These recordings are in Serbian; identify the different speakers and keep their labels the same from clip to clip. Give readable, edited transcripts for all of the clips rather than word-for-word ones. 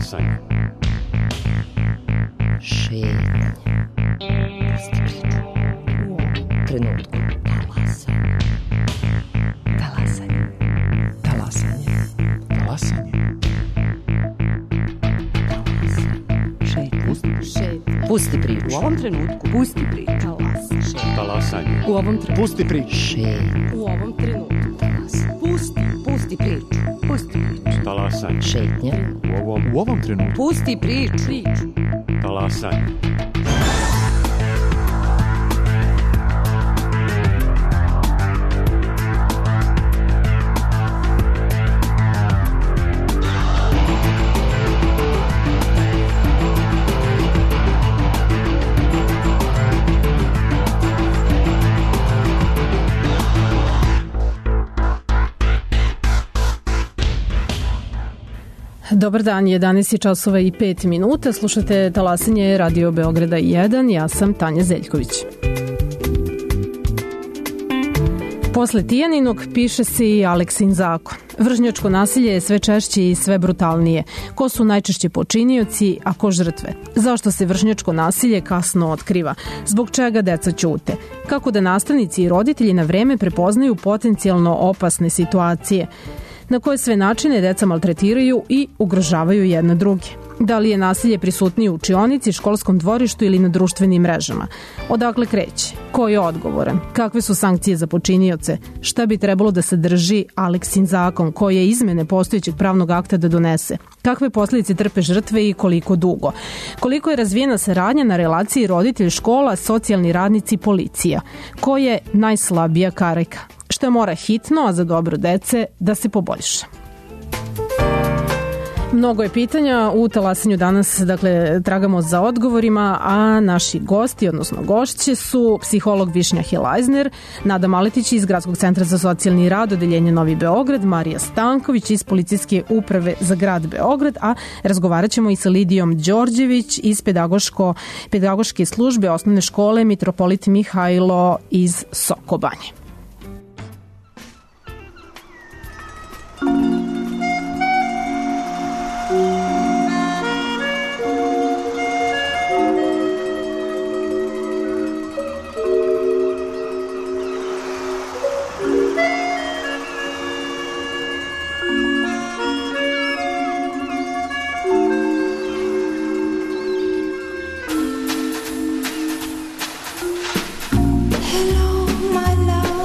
Speaker 1: Talasanje.
Speaker 2: Šetnje. Pusti priču. U ovom trenutku. Talasanje. Talasanje. Talasanje.
Speaker 1: Talasanje.
Speaker 2: Pusti priču.
Speaker 3: U ovom trenutku. Pusti priču.
Speaker 1: Talasanje.
Speaker 3: U ovom trenutku.
Speaker 1: Pusti priču.
Speaker 2: Šetnje.
Speaker 3: U ovom trenutku. Pusti priču. Pusti priču.
Speaker 1: Talasanje.
Speaker 2: Šetnje.
Speaker 1: U ovom trenutku.
Speaker 3: Pusti priču.
Speaker 1: Talasanje.
Speaker 4: Dobar dan, 11 časova i 5 minuta. Slušate Talasanje Radio Beograda 1. Ja sam Tanja Zeljković. Posle Tijaninog piše se i Aleksin zakon. Vršnjačko nasilje je sve češće i sve brutalnije. Ko su najčešće počinioci, a ko žrtve? Zašto se vršnjačko nasilje kasno otkriva? Zbog čega deca ćute? Kako da nastavnici i roditelji na vreme prepoznaju potencijalno opasne situacije? Na koje sve načine deca maltretiraju i ugrožavaju jedne druge? Da li je nasilje prisutnije u učionici, školskom dvorištu ili na društvenim mrežama? Odakle kreće? Ko je odgovoran? Kakve su sankcije za počinioce? Šta bi trebalo da sadrži Aleksin zakon? Koje izmene postojećeg pravnog akta da donese? Kakve posljedice trpe žrtve i koliko dugo? Koliko je razvijena saradnja na relaciji roditelj, škola, socijalni radnici, policija? Ko je najslabija karika? Šta mora hitno, a za dobro dece, da se poboljša? Mnogo je pitanja u Talasanju danas, dakle, tragamo za odgovorima, a naši gosti, odnosno gošće su psiholog Višnja Helajzner, Nada Maletić iz Gradskog centra za socijalni rad, odeljenje Novi Beograd, Marija Stanković iz Policijske uprave za grad Beograd, a razgovarat ćemo i sa Lidijom Đorđević iz pedagoške službe osnovne škole Mitropolit Mihajlo iz Sokobanje.
Speaker 5: Hello, my love.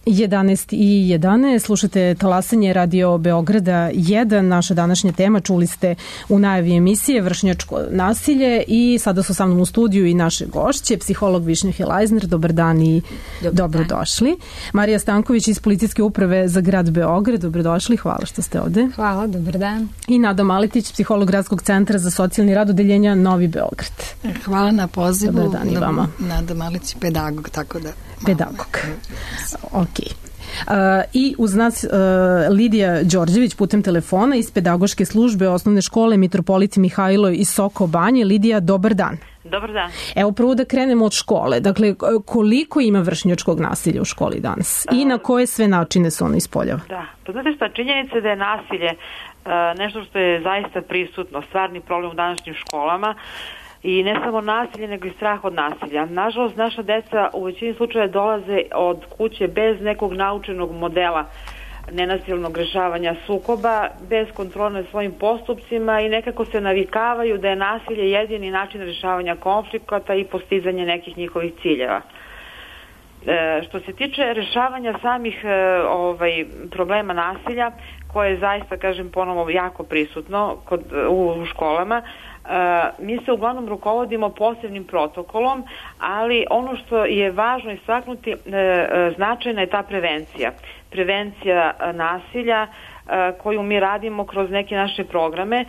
Speaker 4: (11:11), slušate Talasanje Radio Beograda 1. Naša današnja tema, čuli ste u najavi emisije, vršnjačko nasilje, i sada su sa mnom u studiju i naše gošće, psiholog Višnja Helajzner. Dobar dan i dobrodošli. Marija Stanković iz Policijske uprave za grad Beograd. Dobrodošli, hvala što ste ovde.
Speaker 5: Hvala, dobar dan.
Speaker 4: I Nada Maletić, psiholog Gradskog centra za socijalni rad odeljenja Novi Beograd.
Speaker 5: Hvala na pozivu.
Speaker 4: Dobar dan i vama.
Speaker 5: Nada Maletić, pedagog, tako da...
Speaker 4: Pedagog. Ok. I uz nas Lidija Đorđević putem telefona iz pedagoške službe osnovne škole Mitropoliti Mihajlo iz Soko Banje. Lidija, dobar dan.
Speaker 6: Dobar dan.
Speaker 4: Evo, prvo da krenemo od škole. Dakle, koliko ima vršnjačkog nasilja u školi danas i na koje sve načine se ono ispoljava?
Speaker 6: Da, pa znate šta, činjenica da je nasilje nešto što je zaista prisutno, stvarni problem u današnjim školama. I ne samo nasilje, nego i strah od nasilja. Nažalost, naša deca u većini slučaja dolaze od kuće bez nekog naučenog modela nenasilnog rešavanja sukoba, bez kontrole nad svojim postupcima i nekako se navikavaju da je nasilje jedini način rešavanja konflikata i postizanje nekih njihovih ciljeva. Što se tiče rešavanja samih problema nasilja, koje je zaista, kažem ponovo, jako prisutno u školama, mi se uglavnom rukovodimo posebnim protokolom, ali ono što je važno istaknuti, značajna je ta prevencija. Prevencija nasilja koju mi radimo kroz neke naše programe.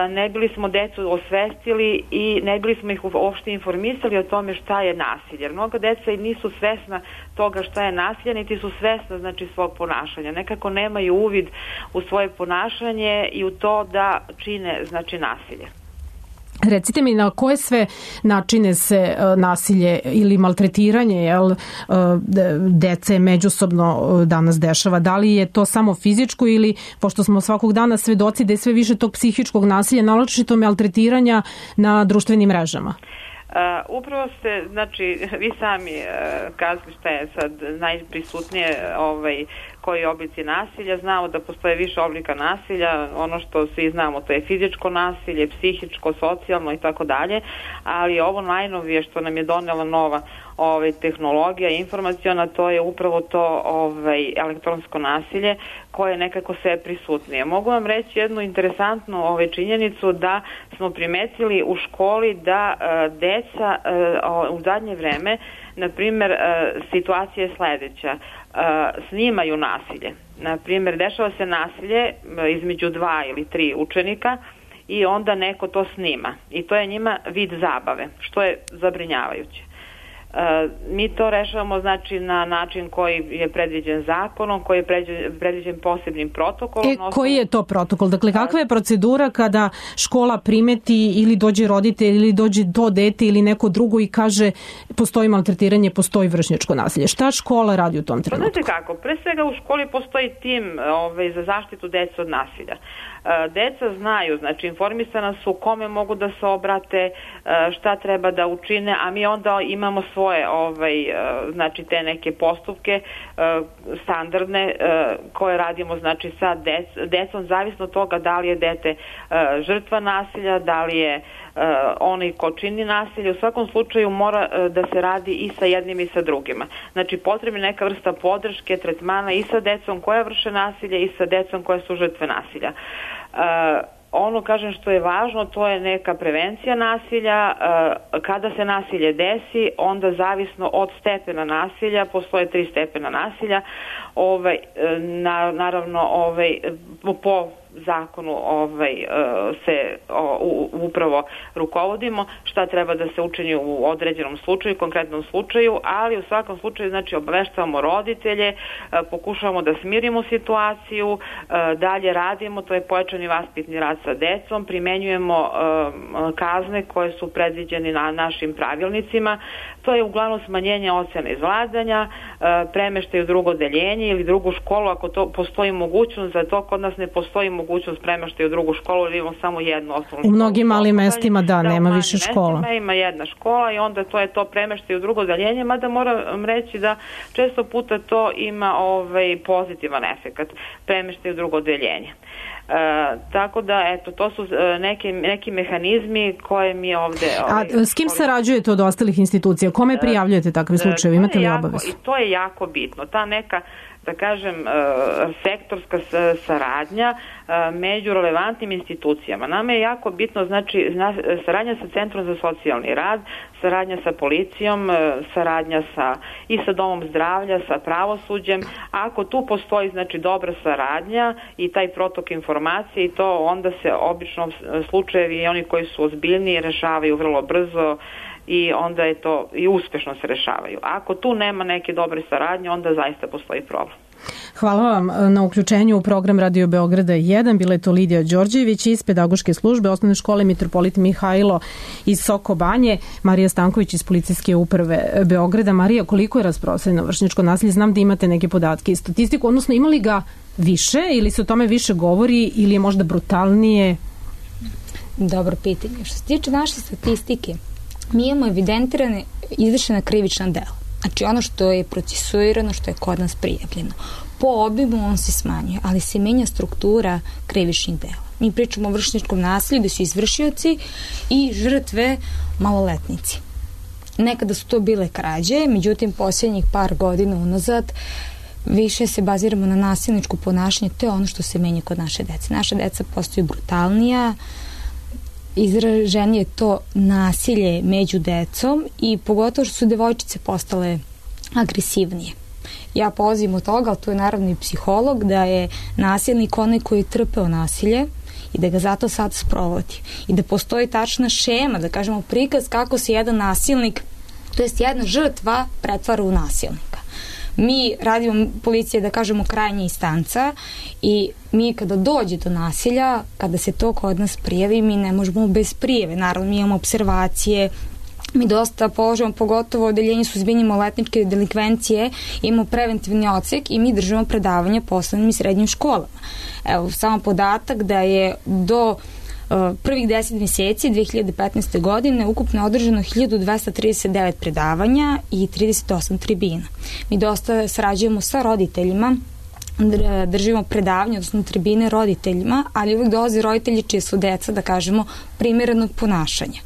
Speaker 6: Ne bili smo decu osvestili i ne bili smo ih uopšte informisali o tome šta je nasilje. Jer mnogo deca i nisu svesna toga šta je nasilje, niti su svesna, znači, svog ponašanja. Nekako nemaju uvid u svoje ponašanje i u to da čine, znači, nasilje.
Speaker 4: Recite mi, na koje sve načine se nasilje ili maltretiranje dece međusobno danas dešava? Da li je to samo fizičko ili, pošto smo svakog dana svedoci da je sve više tog psihičkog nasilja, naročito maltretiranja na društvenim mrežama?
Speaker 6: Upravo ste, znači, vi sami kazali šta je sad najprisutnije, koji oblici nasilja. Znamo da postoje više oblika nasilja, ono što svi znamo, to je fizičko nasilje, psihičko, socijalno i tako dalje, ali ovo najnovije što nam je donela nova tehnologija informaciona, to je upravo to elektronsko nasilje koje je nekako sve prisutnije. Mogu vam reći jednu interesantnu činjenicu, da smo primetili u školi da deca u zadnje vreme, na primjer, situacija je sledeća, snimaju nasilje. Na primjer, dešava se nasilje između 2 ili 3 učenika i onda neko to snima. I to je njima vid zabave, što je zabrinjavajuće. Mi to rešavamo, znači, na način koji je predviđen zakonom, koji je predviđen posebnim protokolom.
Speaker 4: Koji je to protokol? Dakle, kakva je procedura kada škola primeti ili dođe roditelj ili dođe do dete ili neko drugo i kaže postoji maltretiranje, postoji vršnjačko nasilje? Šta škola radi u tom trenutku?
Speaker 6: Znate kako, pre svega u školi postoji tim za zaštitu dece od nasilja. Deca znaju, znači, informisana su kome mogu da se obrate, šta treba da učine, a mi onda imamo svoje znači, te neke postupke standardne koje radimo, znači, sa decom, zavisno od toga da li je dete žrtva nasilja, da li je onaj ko čini nasilje. U svakom slučaju mora da se radi i sa jednim i sa drugima. Znači, potrebna je neka vrsta podrške, tretmana i sa decom koja vrše nasilje i sa decom koje su žrtve nasilja. Ono, kažem, što je važno, to je neka prevencija nasilja. Kada se nasilje desi, onda zavisno od stepena nasilja, postoje 3 stepena nasilja. Naravno, po zakonu se upravo rukovodimo, šta treba da se učini u određenom slučaju, konkretnom slučaju, ali u svakom slučaju znači obaveštavamo roditelje, pokušavamo da smirimo situaciju, dalje radimo, to je pojačani vaspitni rad sa decom, primenjujemo kazne koje su predviđene na našim pravilnicima, to je uglavnom smanjenje ocena izvladanja, premeštaj u drugo odeljenje ili drugu školu, ako to postoji mogućnost, za to kod nas ne postoji mogućnost premeštaj u drugu školu, ili imamo samo jednu osnovnu školu.
Speaker 4: U mnogim malim mestima nema više škola.
Speaker 6: Ima jedna škola i onda to je to premeštaj u drugo odeljenje, mada moram reći da često puta to ima pozitivan efekat, premeštaj u drugo odeljenje. Tako da, eto, to su neki mehanizmi koje mi ovde...
Speaker 4: s kim sarađujete od ostalih institucija? Kome prijavljujete takve slučajeve? Imate li obavezu?
Speaker 6: I to je jako bitno. Ta neka, da kažem, sektorska saradnja među relevantnim institucijama. Nama je jako bitno, znači, saradnja sa Centrom za socijalni rad, saradnja sa policijom, saradnja i sa domom zdravlja, sa pravosuđem. Ako tu postoji, znači, dobra saradnja i taj protok informacije i to, onda se obično slučajevi i oni koji su ozbiljniji rešavaju vrlo brzo i onda je to i uspešno se rešavaju. Ako tu nema neke dobre saradnje, onda zaista postoji problem.
Speaker 4: Hvala vam na uključenju u program Radio Beograda 1. Bila je to Lidija Đorđević iz pedagoške službe Osnovne škole Mitropolit Mihajlo iz Soko Banje, Marija Stanković iz Policijske uprave Beograda. Marija, koliko je rasprostranjeno vršnjačko nasilje? Znam da imate neke podatke i statistiku, odnosno ima li ga više ili se o tome više govori ili je možda brutalnije?
Speaker 7: Dobro pitanje. Što se tiče naše statistike, mi imamo evidentirane izvršena krivična dela. Znači ono što je procesuirano, što je kod nas prijavljeno. Po obimu on se smanjuje, ali se menja struktura krivičnih dela. Mi pričamo o vršnjačkom nasilju gde su izvršioci i žrtve maloletnici. Nekada su to bile krađe, međutim posljednjih par godina unazad više se baziramo na nasilničko ponašanje, to je ono što se menja kod naše dece. Naša deca postaju brutalnija, izraženije je to nasilje među decom i pogotovo što su devojčice postale agresivnije. Ja polazim od toga, ali tu je naravno i psiholog, da je nasilnik onaj koji je trpeo nasilje i da ga zato sad sprovodi. I da postoji tačna šema, da kažemo prikaz kako se jedan nasilnik, to jest jedna žrtva, pretvara u nasilnika. Mi radimo, policija, da kažemo, krajnja instanca i mi kada dođe do nasilja, kada se to kod nas prijavi, mi ne možemo bez prijave. Naravno, mi imamo observacije, mi dosta položamo, pogotovo odeljenje suzbijanja maloletničke delikvencije, imamo preventivni odsek i mi držimo predavanja po osnovnim i srednjim školama. Evo, samo podatak da je do prvih 10 mjeseci 2015. godine ukupno održano 1239 predavanja i 38 tribina. Mi dosta sarađujemo sa roditeljima, držimo predavanje, odnosno tribine roditeljima, ali uvijek dolaze roditelji čije su deca, da kažemo, primjerenog ponašanja.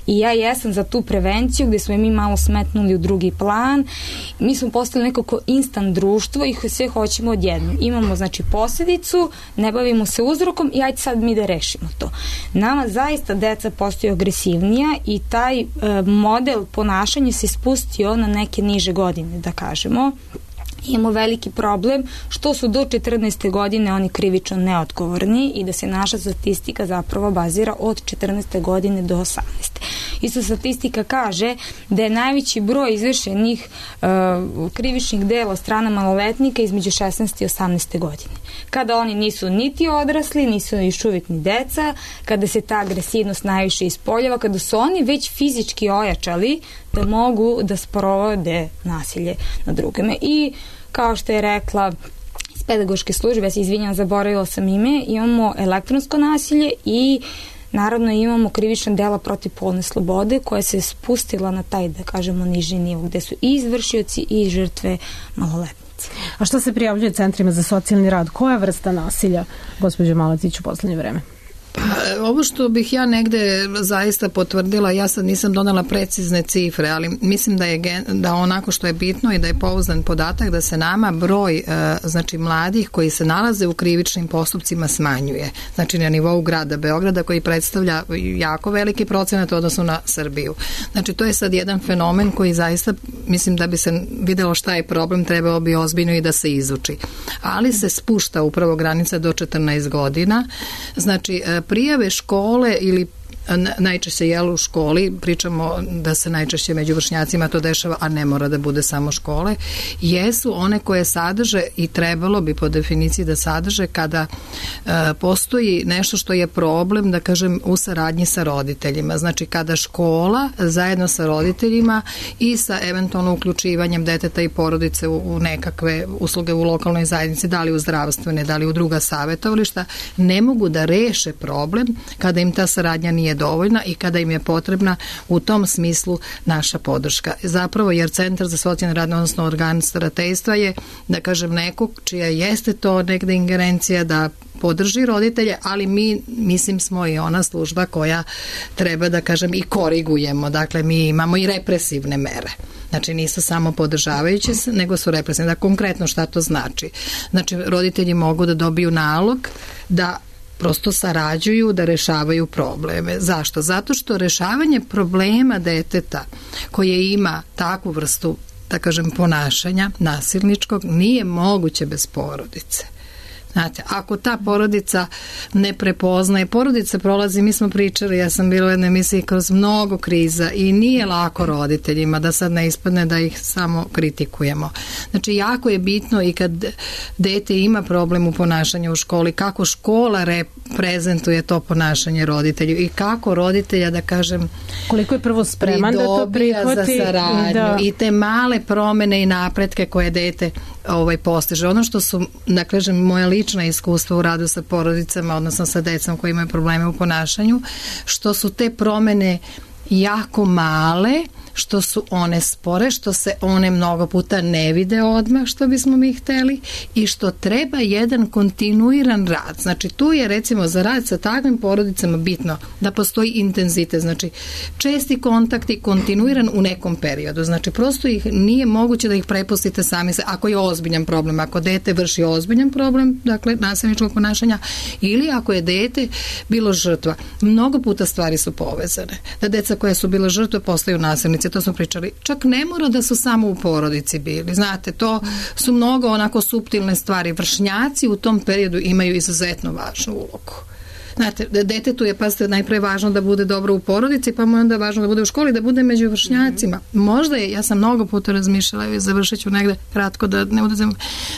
Speaker 7: I ja jesam za tu prevenciju gdje smo mi malo smetnuli u drugi plan. Mi smo postali nekako instant društvo i sve hoćemo odjednom. Imamo znači posljedicu, ne bavimo se uzrokom i ajde sad mi da rešimo to. Nama zaista deca postaju agresivnija i taj model ponašanja se spustio na neke niže godine, da kažemo. Imamo veliki problem što su do 14. godine oni krivično neodgovorni i da se naša statistika zapravo bazira od 14. godine do 18. Isto statistika kaže da je najveći broj izvršenih krivičnih dela od strana maloletnika između 16. i 18. godine. Kada oni nisu niti odrasli, nisu još uvijek ni deca, kada se ta agresivnost najviše ispoljava, kada su oni već fizički ojačali da mogu da sprovode nasilje na drugima. I kao što je rekla iz pedagoške službe, ja se izvinjam, zaboravila sam ime, imamo elektronsko nasilje i naravno imamo krivična dela protiv polne slobode koja se spustila na taj, da kažemo, niži nivo, gde su i izvršioci i žrtve maloletnici.
Speaker 4: A što se prijavljuje centrima za socijalni rad? Koja vrsta nasilja, gospođo Maletić, u poslednje vreme?
Speaker 5: Ovo što bih ja negde zaista potvrdila, ja sad nisam donala precizne cifre, ali mislim da onako što je bitno i da je pouzdan podatak da se nama broj znači mladih koji se nalaze u krivičnim postupcima smanjuje. Znači na nivou grada Beograda koji predstavlja jako veliki procenat odnosno na Srbiju. Znači to je sad jedan fenomen koji zaista mislim da bi se videlo šta je problem, trebalo bi ozbiljno i da se izuči. Ali se spušta upravo granica do 14 godina. Znači prijave škole ili najčešće u školi, pričamo da se najčešće među vršnjacima to dešava, a ne mora da bude samo škole, jesu one koje sadrže i trebalo bi po definiciji da sadrže kada postoji nešto što je problem, da kažem, u saradnji sa roditeljima. Znači kada škola zajedno sa roditeljima i sa eventualno uključivanjem deteta i porodice u nekakve usluge u lokalnoj zajednici, da li u zdravstvene, da li u druga savjetovališta, ne mogu da reše problem kada im ta saradnja nije dovoljna i kada im je potrebna u tom smislu naša podrška. Zapravo jer Centar za socijalni rad, odnosno organ starateljstva je, da kažem, nekog čija jeste to negde ingerencija da podrži roditelje, ali mi, mislim, smo i ona služba koja treba, da kažem, i korigujemo. Dakle, mi imamo i represivne mere. Znači, nisu samo podržavajuće, nego su represivne. Da, konkretno šta to znači? Znači, roditelji mogu da dobiju nalog da prosto sarađuju da rešavaju probleme. Zašto? Zato što rešavanje problema deteta koje ima takvu vrstu, da kažem, ponašanja nasilničkog nije moguće bez porodice. Znate, ako ta porodica ne prepoznaje, porodica prolazi, mi smo pričali, ja sam bila u jednoj emisiji kroz mnogo kriza i nije lako roditeljima, da sad ne ispadne da ih samo kritikujemo. Znači, jako je bitno i kad dete ima problem u ponašanju u školi, kako škola reprezentuje to ponašanje roditelju i kako roditelja, da kažem,
Speaker 4: koliko je prvo spreman da to prihvati
Speaker 5: za saradnju i te male promene i napretke koje dete postiže. Ono što su, da kažem, moja lična iskustva u radu sa porodicama, odnosno sa decom koji imaju probleme u ponašanju, što su te promene jako male, što su one spore, što se one mnogo puta ne vide odmah što bismo mi hteli i što treba jedan kontinuiran rad. Znači tu je recimo za rad sa takvim porodicama bitno da postoji intenzitet, znači česti kontakti, kontinuiran u nekom periodu. Znači prosto ih nije moguće da ih prepustite sami se, ako je ozbiljan problem, ako dete vrši ozbiljan problem, dakle nasilničkog ponašanja, ili ako je dete bilo žrtva. Mnogo puta stvari su povezane. Da deca koja su bila žrtve postaju nasilnici, to smo pričali. Čak ne mora da su samo u porodici bili. Znate, to su mnogo onako suptilne stvari. Vršnjaci u tom periodu imaju izuzetno važnu ulogu. Znate, detetu je, pazite, najpre važno da bude dobro u porodici, pa mu je onda važno da bude u školi, da bude među vršnjacima. Možda je, ja sam mnogo puta razmišljala i završit ću negde kratko da ne udazem,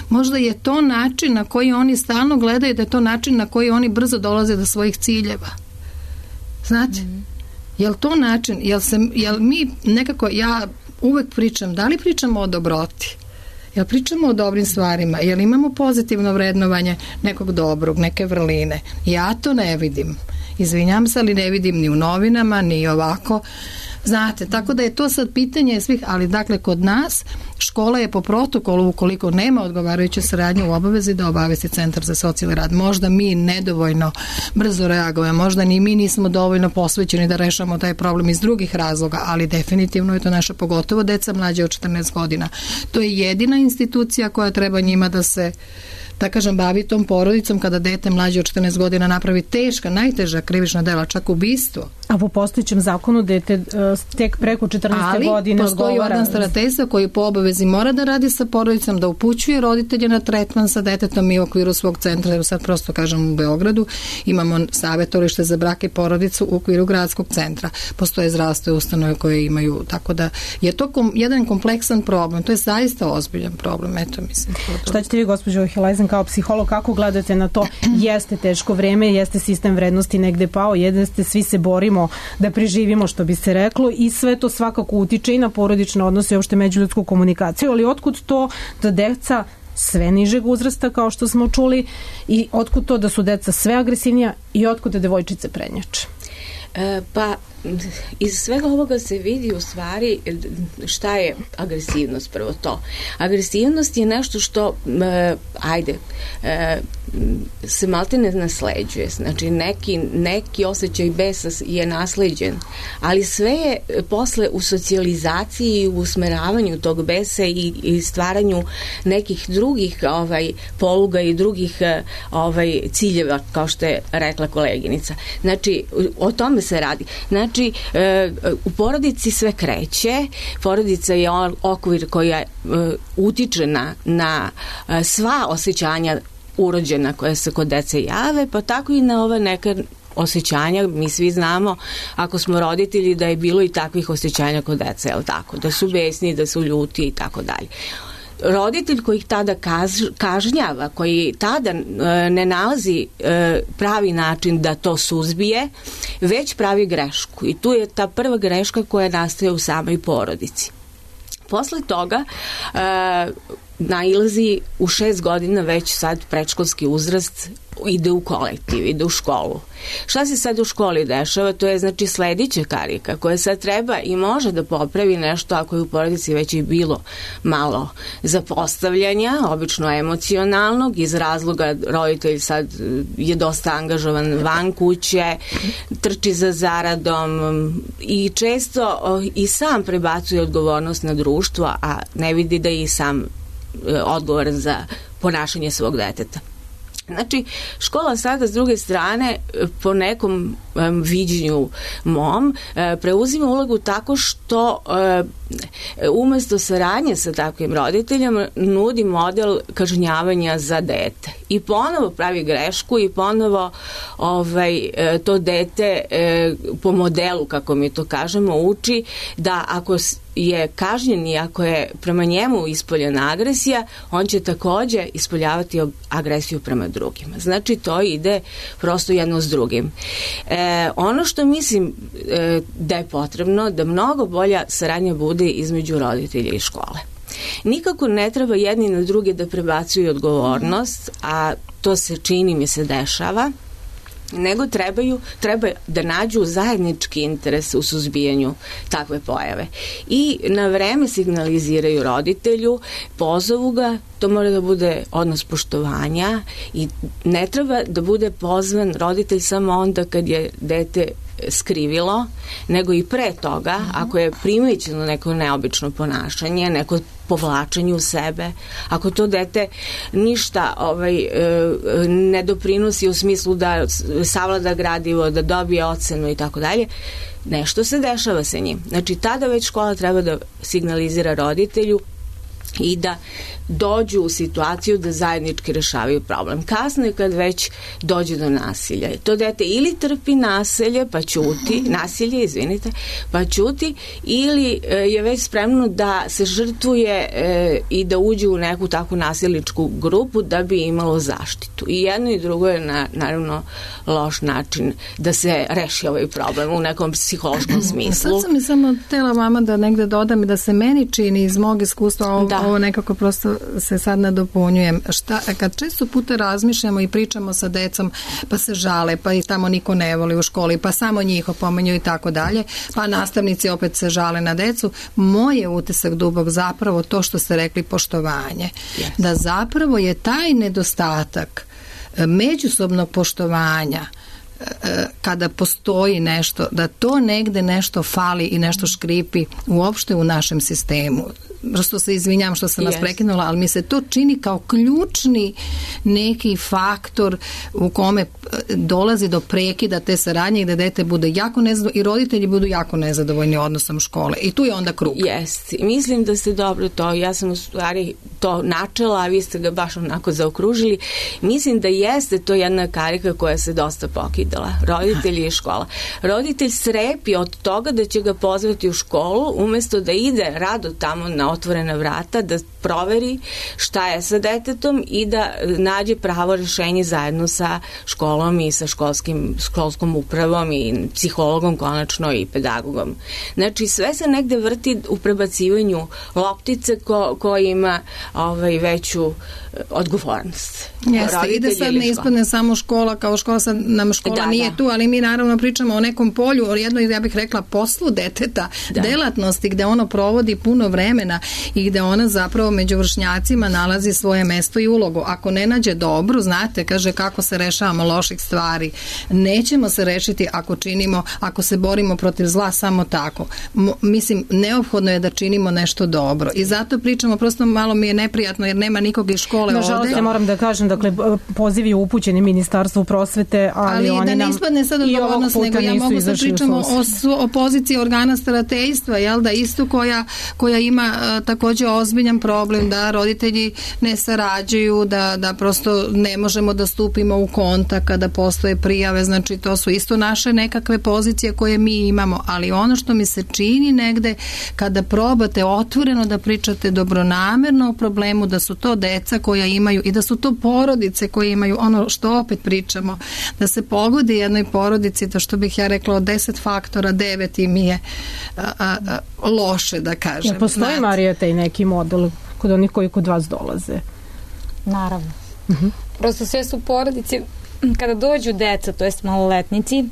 Speaker 5: možda je to način na koji oni stalno gledaju, da je to način na koji oni brzo dolaze do svojih ciljeva. Znate? Jel to način, jel mi nekako, ja uvek pričam, da li pričamo o dobroti? Jel pričamo o dobrim stvarima? Jel imamo pozitivno vrednovanje nekog dobrog, neke vrline? Ja to ne vidim. Izvinjam se, ali ne vidim ni u novinama, ni ovako. Znate, tako da je to sad pitanje svih, ali dakle kod nas škola je po protokolu, ukoliko nema odgovarajuće saradnje, u obavezi da obavesti Centar za socijalni rad. Možda mi nedovoljno brzo reagujemo, možda ni mi nismo dovoljno posvećeni da rešamo taj problem iz drugih razloga, ali definitivno je to naša, pogotovo deca mlađe od 14 godina. To je jedina institucija koja treba njima da se, da kažem, bavi tom porodicom kada dete mlađe od 14 godina napravi teška, najteža krivična dela, čak ubistvo.
Speaker 4: A po postojećem zakonu dete tek preko 14. godine
Speaker 5: ali postoji organ starateljstva koji po obavezi mora da radi sa porodicom, da upućuje roditelje na tretman sa detetom i u okviru svog centra, jer sad prosto kažem u Beogradu imamo savjetovalište za brak i porodicu u okviru gradskog centra. Postoje zdravstvene ustanove koje imaju, tako da je to jedan kompleksan problem, to je zaista ozbiljan problem. Eto, mislim.
Speaker 4: Šta ćete vi, gospođo Hilajzen, kao psiholog, kako gledate na to? Jeste teško vreme, jeste sistem vrednosti negde pao, jeste, svi se borimo da preživimo, što bi se reklo, i sve to svakako utiče i na porodične odnose i uopšte međuljudsku komunikaciju, ali otkud to da deca sve nižeg uzrasta, kao što smo čuli, i otkud to da su deca sve agresivnija i otkud da devojčice prednjače?
Speaker 8: Pa iz svega ovoga se vidi u stvari šta je agresivnost. Prvo to. Agresivnost je nešto što se maltene nasleđuje. Znači neki osjećaj besa je nasleđen, ali sve je posle u socijalizaciji i u usmeravanju tog besa i stvaranju nekih drugih poluga i drugih ciljeva, kao što je rekla koleginica. Znači, o tome se radi. Znači, u porodici sve kreće, porodica je okvir koja utiče na sva osjećanja urođena koja se kod dece jave, pa tako i na ova neka osjećanja. Mi svi znamo, ako smo roditelji, da je bilo i takvih osjećanja kod dece, jel tako? Da su besni, da su ljuti i tako dalje. Roditelj koji ih tada kažnjava, koji tada ne nalazi pravi način da to suzbije, već pravi grešku. I tu je ta prva greška koja nastaje u samoj porodici. Posle toga nailazi u 6 godina već sad predškolski uzrast, ide u kolektiv, ide u školu. Šta se sad u školi dešava? To je znači sledeća karika koja sad treba i može da popravi nešto ako je u porodici već i bilo malo zapostavljanja, obično emocionalnog, iz razloga roditelj sad je dosta angažovan van kuće, trči za zaradom i često i sam prebacuje odgovornost na društvo, a ne vidi da je i sam odgovoran za ponašanje svog deteta. Znači, škola sada s druge strane po nekom viđenju mom preuzima ulogu tako što umesto saradnje sa takvim roditeljama nudi model kažnjavanja za dete. I ponovo pravi grešku i ponovo to dete po modelu, kako mi to kažemo, uči da ako je kažnjen i ako je prema njemu ispoljena agresija, on će takođe ispoljavati agresiju prema drugima. Znači, to ide prosto jedno s drugim. Ono što mislim da je potrebno, da mnogo bolja saradnja bude između roditelja i škole. Nikako ne treba jedni na druge da prebacuju odgovornost, a to se čini mi se dešava, nego treba da nađu zajednički interes u suzbijanju takve pojave. I na vreme signaliziraju roditelju, pozovu ga, to mora da bude odnos poštovanja i ne treba da bude pozvan roditelj samo onda kad je dete skrivilo, nego i pre toga, ako je primećeno neko neobično ponašanje, neko povlačenje u sebe, ako to dete ništa ne doprinosi u smislu da savlada gradivo, da dobije ocenu i tako dalje, nešto se dešava sa njim. Znači, tada već škola treba da signalizira roditelju i da dođu u situaciju da zajednički rešavaju problem. Kasno je kad već dođe do nasilja. To dete ili trpi nasilje, pa ćuti, ili je već spremno da se žrtvuje i da uđe u neku takvu nasilničku grupu da bi imalo zaštitu. I jedno i drugo je naravno loš način da se reši ovaj problem u nekom psihološkom smislu.
Speaker 5: Sad sam mi samo htela vama da negde dodam i da se meni čini iz mog iskustva ovo nekako prosto se sad nadopunjujem. Kad često puta razmišljamo i pričamo sa decom, pa se žale, pa i tamo niko ne voli u školi, pa samo njih opominju i tako dalje, pa nastavnici opet se žale na decu, moj je utisak dubok zapravo to što ste rekli, poštovanje. Yes. Da zapravo je taj nedostatak međusobnog poštovanja kada postoji nešto, da to negde nešto fali i nešto škripi uopšte u našem sistemu. Prosto se izvinjam što sam vas prekinula, ali mi se to čini kao ključni neki faktor u kome dolazi do prekida te saradnje i da dete bude jako nezadovoljno i roditelji budu jako nezadovoljni odnosom škole. I tu je onda krug.
Speaker 8: Jest. Mislim da ste dobro to. Ja sam u stvari to načela, a vi ste ga baš onako zaokružili. Mislim da jeste to jedna karika koja se dosta pokidala. Roditelji i škola. Roditelj strepi od toga da će ga pozvati u školu umesto da ide rado tamo na otvorena vrata, da proveri šta je sa detetom i da nađe pravo rešenje zajedno sa školom i sa školskom upravom i psihologom konačno i pedagogom. Znači, sve se negde vrti u prebacivanju loptice ko ima veću odgovornost.
Speaker 5: Jeste, i da sad ne ispadne samo škola kao škola, sad nam škola nije tu, ali mi naravno pričamo o nekom polju, o jednoj, ja bih rekla, poslu deteta, delatnosti gde ono provodi puno vremena godina i gde ona zapravo među vršnjacima nalazi svoje mesto i ulogu. Ako ne nađe dobru, znate, kaže kako se rešavamo loših stvari. Nećemo se rešiti ako se borimo protiv zla samo tako. Mislim, neophodno je da činimo nešto dobro. I zato pričamo, prosto malo mi je neprijatno jer nema nikog iz škole ovde.
Speaker 4: Nažalost, ja moram da kažem, dakle, poziv je upućeni Ministarstvu prosvete, ali oni
Speaker 5: da ne
Speaker 4: nam
Speaker 5: ispadne sad odgovornost, nego ja mogu da pričamo o poziciji organa starateljstva, jel da, isto koja ima takođe ozbiljan problem, da roditelji ne sarađuju, da prosto ne možemo da stupimo u kontakt kada postoje prijave, znači to su isto naše nekakve pozicije koje mi imamo, ali ono što mi se čini negde kada probate otvoreno da pričate dobronamerno o problemu, da su to deca koja imaju i da su to porodice koje imaju, ono što opet pričamo, da se pogodi jednoj porodici, to što bih ja rekla od 10 faktora 9 im je loše, da kažem.
Speaker 4: Ja, postoji, Marija, taj neki model kod onih koji kod vas dolaze?
Speaker 7: Naravno. Prosto sve su porodice, kada dođu deca, to jest maloletnici,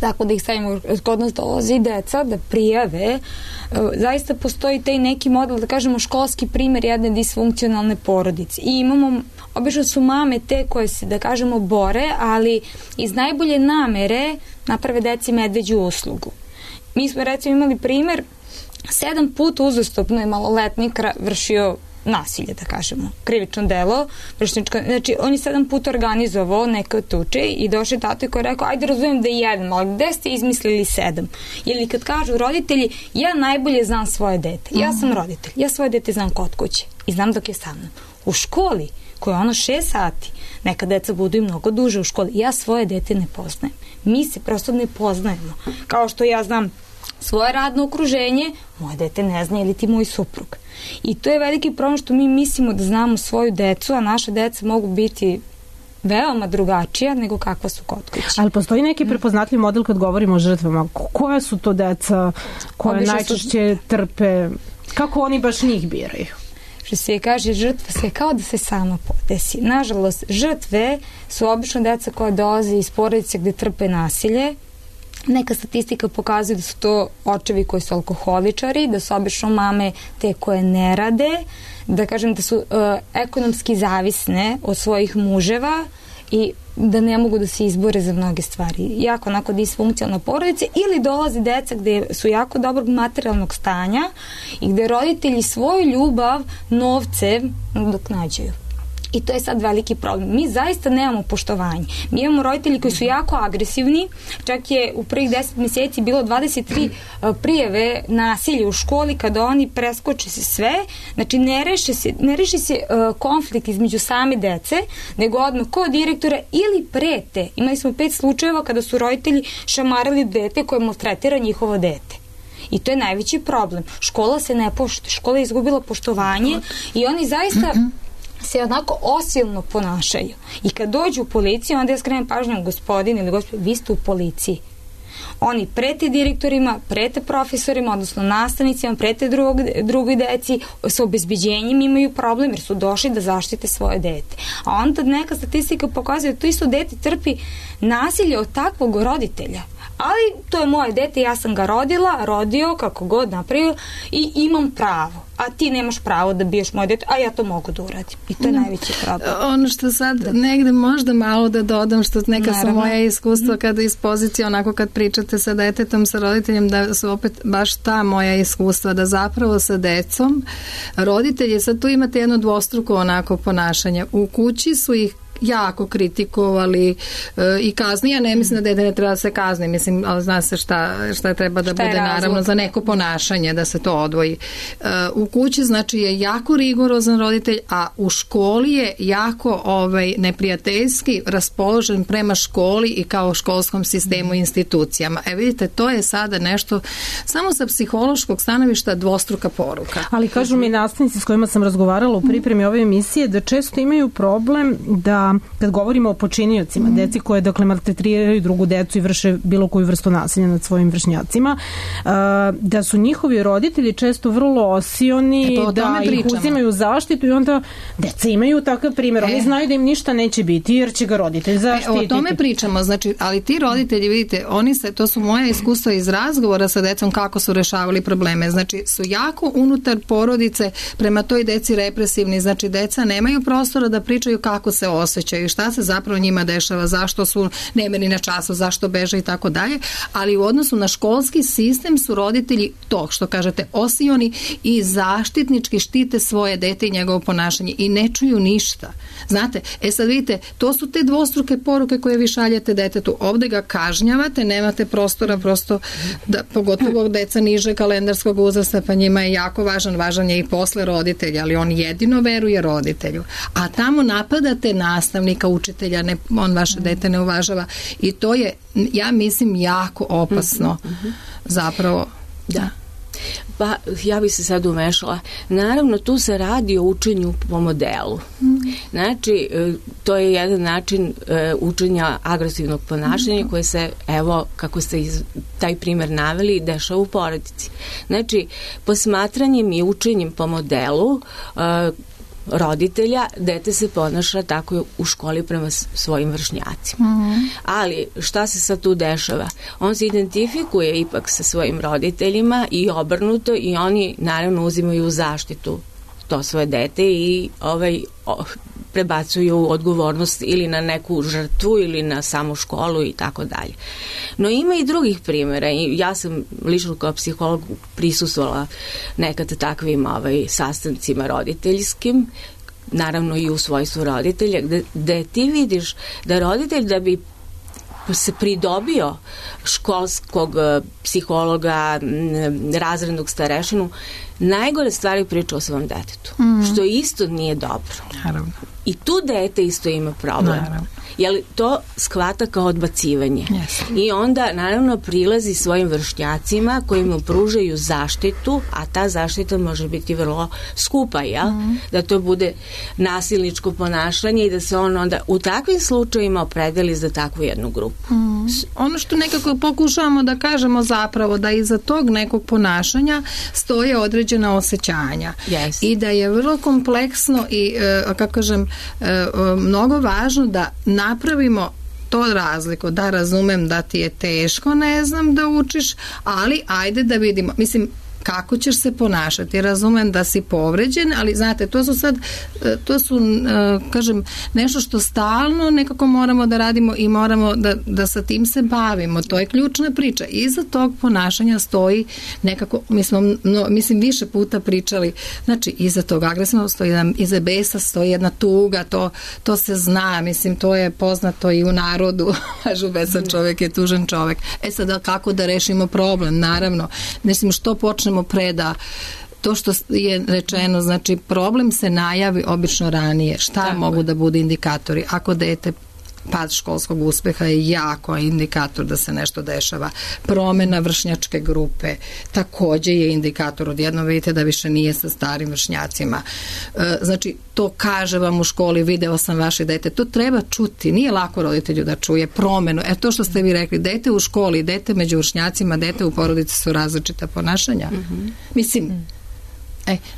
Speaker 7: tako da ih stavimo, kod nas dolazi deca da prijave, zaista postoji taj neki model, da kažemo školski primer jedne disfunkcionalne porodice. I imamo, obično su mame te koje se, da kažemo, bore, ali iz najbolje namere naprave deci medveđu uslugu. Mi smo recimo imali primer, 7 puta uzastopno je maloletnik vršio nasilje, da kažemo, krivično delo, znači on je 7 puta organizovao neke tuče i došao tato koji je rekao, ajde razumijem da je jedan, ali gde ste izmislili 7? Ili kad kažu roditelji, ja najbolje znam svoje dete, ja sam roditelj, ja svoje dete znam kod kuće i znam dok je sa mnom. U školi, koja je ono 6 sati, neka deca budu i mnogo duže u školi, ja svoje dete ne poznajem. Mi se prosto ne poznajemo. Kao što ja znam svoje radno okruženje, moje dete ne zna ili ti moj suprug. I to je veliki problem što mi mislimo da znamo svoju decu, a naše deca mogu biti veoma drugačija nego kakva su kod kuće. Ali
Speaker 4: postoji neki prepoznatljiv model kad govorimo o žrtvama? Koja su to deca koje najčešće trpe? Kako oni baš njih biraju?
Speaker 7: Što se kaže, žrtva se kao da se sama podesi. Nažalost, žrtve su obično deca koja dolaze iz porodice gde trpe nasilje. Neka statistika pokazuje da su to očevi koji su alkoholičari, da su obično mame te koje ne rade, da kažem da su ekonomski zavisne od svojih muževa i da ne mogu da se izbore za mnoge stvari. Jako onako disfunkcionalna porodica, ili dolazi deca gde su jako dobrog materijalnog stanja i gde roditelji svoju ljubav novcem nadoknađuju. I to je sad veliki problem. Mi zaista nemamo poštovanje. Mi imamo roditelji koji su jako agresivni, čak je u prvih 10 mjeseci bilo 23 prijave nasilja u školi kada oni preskoče se sve, znači ne reši se konflikt između same dece, nego odmah kod direktora ili prete. Imali smo 5 slučajeva kada su roditelji šamarali dete koje maltretira njihovo dete. I to je najveći problem. Škola se ne poštuje, škola je izgubila poštovanje i oni zaista se onako osilno ponašaju. I kad dođu u policiju, onda ja skrenem pažnju, gospodin ili gospodin, vi ste u policiji. Oni prete direktorima, prete profesorima, odnosno nastavnicima, prete drugoj deci, sa obezbeđenjem imaju problem jer su došli da zaštite svoje dete. A onda neka statistika pokazuje da to isto dete trpi nasilje od takvog roditelja. Ali to je moje dete, ja sam ga rodio, kako god napravio i imam pravo. A ti nemaš pravo da biješ moje dete, a ja to mogu da uradim. I to je najveći problem.
Speaker 5: Ono što sad negde možda malo da dodam, što neka su moja iskustva kada iz pozicije, onako kad pričate sa detetom, sa roditeljem, da su opet baš ta moja iskustva, da zapravo sa decom roditelji, sad tu imate jedno dvostruko onako ponašanje. U kući su ih jako kritikovali i kazni. Ja ne mislim da dete ne treba da se kazni, mislim, ali zna se šta treba da bude naravno za neko ponašanje, da se to odvoji. U kući znači je jako rigorozan roditelj, a u školi je jako neprijateljski raspoložen prema školi i kao školskom sistemu i institucijama. Vidite, to je sada nešto samo sa psihološkog stanovišta dvostruka poruka.
Speaker 4: Ali kažu mi nastavnici s kojima sam razgovarala u pripremi ove emisije da često imaju problem da da kad govorimo o počiniocima, deci koje dakle maltretiraju drugu decu i vrše bilo koju vrstu nasilja nad svojim vršnjacima, da su njihovi roditelji često vrlo osioni, da ih uzimaju zaštitu i onda deca imaju takav primjer. Oni znaju da im ništa neće biti jer će ga roditelj zaštititi.
Speaker 5: O tome pričamo, znači, ali ti roditelji, vidite, to su moja iskustva iz razgovora sa decom kako su rešavali probleme. Znači, su jako unutar porodice prema toj deci represivni, znači deca nemaju prostora da pričaju kako se osjećaju, šta se zapravo njima dešava, zašto su nemirni na času, zašto beže i tako dalje, ali u odnosu na školski sistem su roditelji to što kažete osioni i zaštitnički štite svoje dete i njegovo ponašanje i ne čuju ništa. Znate, sad vidite, to su te dvostruke poruke koje vi šaljete detetu. Ovde ga kažnjavate, nemate prostora prosto da, pogotovo deca niže kalendarskog uzrasta, pa njima je jako važan je i posle roditelja, ali on jedino veruje roditelju. A tamo napadate nastavnika, učitelja, on vaše dete ne uvažava i to je, ja mislim, jako opasno zapravo.
Speaker 8: Da. Pa ja bih se sad umešala. Naravno, tu se radi o učenju po modelu. Znači, to je jedan način učenja agresivnog ponašanja koje se, evo, kako ste taj primjer naveli, dešava u porodici. Znači, posmatranjem i učenjem po modelu roditelja, dete se ponaša tako u školi prema svojim vršnjacima. Ali šta se sad tu dešava? On se identifikuje ipak sa svojim roditeljima i obrnuto i oni naravno uzimaju u zaštitu to svoje dete i prebacuju odgovornost ili na neku žrtvu ili na samu školu i tako dalje. No ima i drugih primjera i ja sam lično kao psiholog prisustvovala nekad takvim sastancima roditeljskim, naravno i u svojstvu roditelja, gde ti vidiš da roditelj da bi se pridobio školskog psihologa, razrednog starešinu, najgore stvari priča o svom detetu, što isto nije dobro.
Speaker 5: Naravno.
Speaker 8: I tu dete isto ima problem.
Speaker 5: Naravno.
Speaker 8: Jer to shvata kao odbacivanje.
Speaker 5: Yes.
Speaker 8: I onda naravno prilazi svojim vršnjacima koji mu pružaju zaštitu, a ta zaštita može biti vrlo skupa, jel? Da to bude nasilničko ponašanje i da se on onda u takvim slučajima opredeli za takvu jednu grupu.
Speaker 5: Ono što nekako pokušavamo da kažemo zapravo da iza tog nekog ponašanja stoje određena osjećanja.
Speaker 8: Yes.
Speaker 5: I da je vrlo kompleksno i, kako kažem, mnogo važno da napravimo to razliku, da razumem da ti je teško, ne znam, da učiš, ali ajde da vidimo, mislim, kako ćeš se ponašati. Razumem da si povređen, ali znate, to su kažem, nešto što stalno nekako moramo da radimo i moramo da sa tim se bavimo. To je ključna priča. Iza tog ponašanja stoji nekako, mislim više puta pričali, znači iza tog agresivnog stoji iza besa stoji jedna tuga, to se zna, mislim, to je poznato i u narodu, kažu besan čovjek je tužan čovjek. Sada kako da rešimo problem? Naravno, mislim, što počnemo preda to što je rečeno, znači problem se najavi obično ranije. Šta mogu da bude indikatori? Ako dete pad školskog uspeha je jako indikator da se nešto dešava. Promena vršnjačke grupe takođe je indikator. Odjednom vidite da više nije sa starim vršnjacima. Znači, to kaže vam u školi, video sam vaše dete. To treba čuti. Nije lako roditelju da čuje promenu. To što ste vi rekli, dete u školi, dete među vršnjacima, dete u porodici su različita ponašanja. Mislim,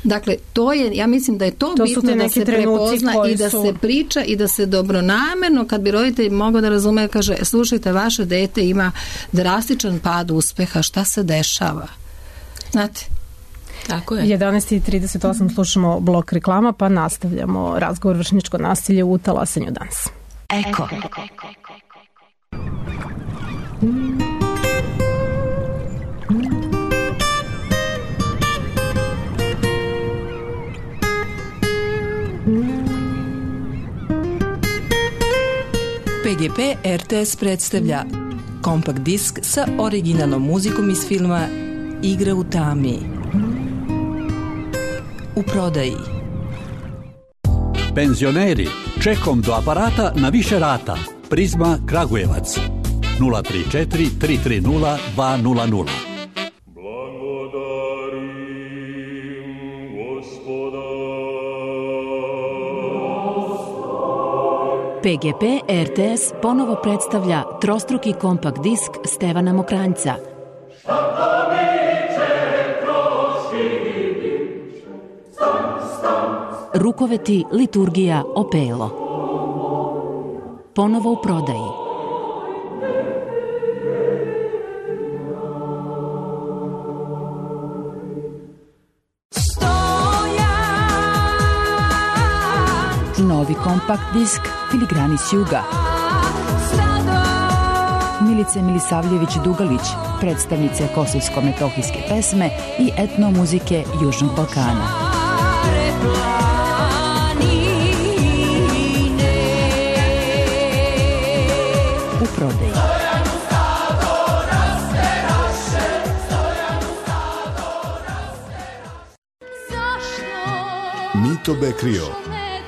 Speaker 5: dakle, to je, ja mislim da je to bitno da se prepozna i da se priča i da se dobronamerno, kad bi roditelj mogao da razume, kaže, slušajte, vaše dete ima drastičan pad uspeha, šta se dešava? Znate?
Speaker 8: Tako je.
Speaker 4: 11:38 slušamo blok reklama, pa nastavljamo razgovor vršnjačko nasilje u talasanju danas.
Speaker 2: Eko.
Speaker 9: PGP RTS predstavlja kompakt disk sa originalnom muzikom iz filma Igra u tami. U prodaji.
Speaker 10: Penzioneri, čekom do aparata na više rata. Prizma Kragujevac 034 330 200.
Speaker 11: PGP RTS ponovo predstavlja trostruki kompakt disk Stevana Mokranjca. Rukoveti, liturgija, opelo. Ponovo u prodaji. Novi kompakt disk Filigrani s juga. Milice Milisavljević-Dugalić, predstavnice kosovsko-metohijske pesme i etnomuzike Južnog Balkana. U prodaji.
Speaker 12: Mito Bekrio,